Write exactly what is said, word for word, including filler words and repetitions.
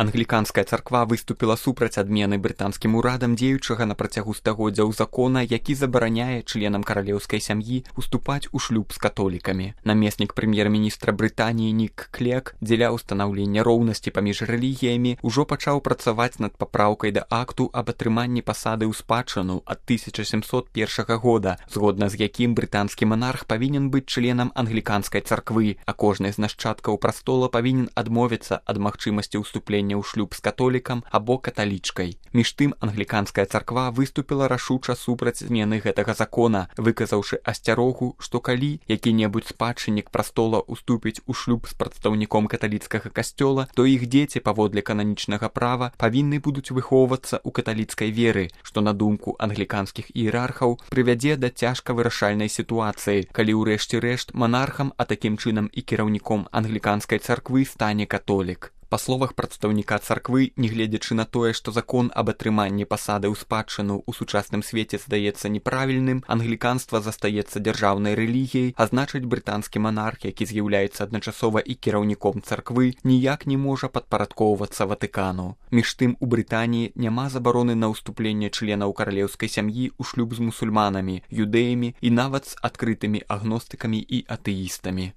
Англіканская царква выступіла супраць адмены брытанскім урадам дзеючага на працягу стагоддзяў закона, які забараняе членам каралеўскай сям'і уступаць у шлюб з католікамі. Намеснік прэм'ер-міністра Брытаніі Нік Клек дзеля ўстанаўлення роўнасці паміж рэлігіямі ўжо пачаў працаваць над папраўкай да акту аб атрыманні пасады ў спадчыну ад тысяча сямсот першага года, згодна з якім брытанскі манарх павінен быць членам англіканскай царквы, а кожны з нашчадкаў прастола павінен адмовіцца ад магчымасці ўступлення ў шлюб з католікам або каталічкай. Між тым, англіканская царква выступіла рашуча супраць змены гэтага закона, выказаўшы асцярогу, што калі які-небудзь спадчыннік прастола уступіць у шлюб з прадстаўніком каталіцкага касцёла, то іх дзеці паводле кананічнага права павінны будуць выхоўвацца ў каталіцкай веры, што на думку англіканскіх іерархаў прывядзе да цяжка вырашальнай сітуацыі, калі ў рэшце рэшт монархам, а такім чынам і кіраўніком англіканскай царквы стане католік. Па словах прадстаўніка царквы, нягледзячы на тое, што закон аб атрыманні пасады ў спадчыну ў сучасным свеце здаецца неправільным, англіканства застаецца дзяржаўнай рэлігіяй, а значыць брытанскі манарх, які з'яўляецца адначасова і кіраўніком царквы, ніяк не можа падпарадкоўвацца Ватыкану. Між тым, у Брытаніі няма забароны на ўступленне членаў каралеўскай сям'і ў шлюб з мусульманамі, юдэямі і нават з адкрытымі агностыкамі і атэістамі.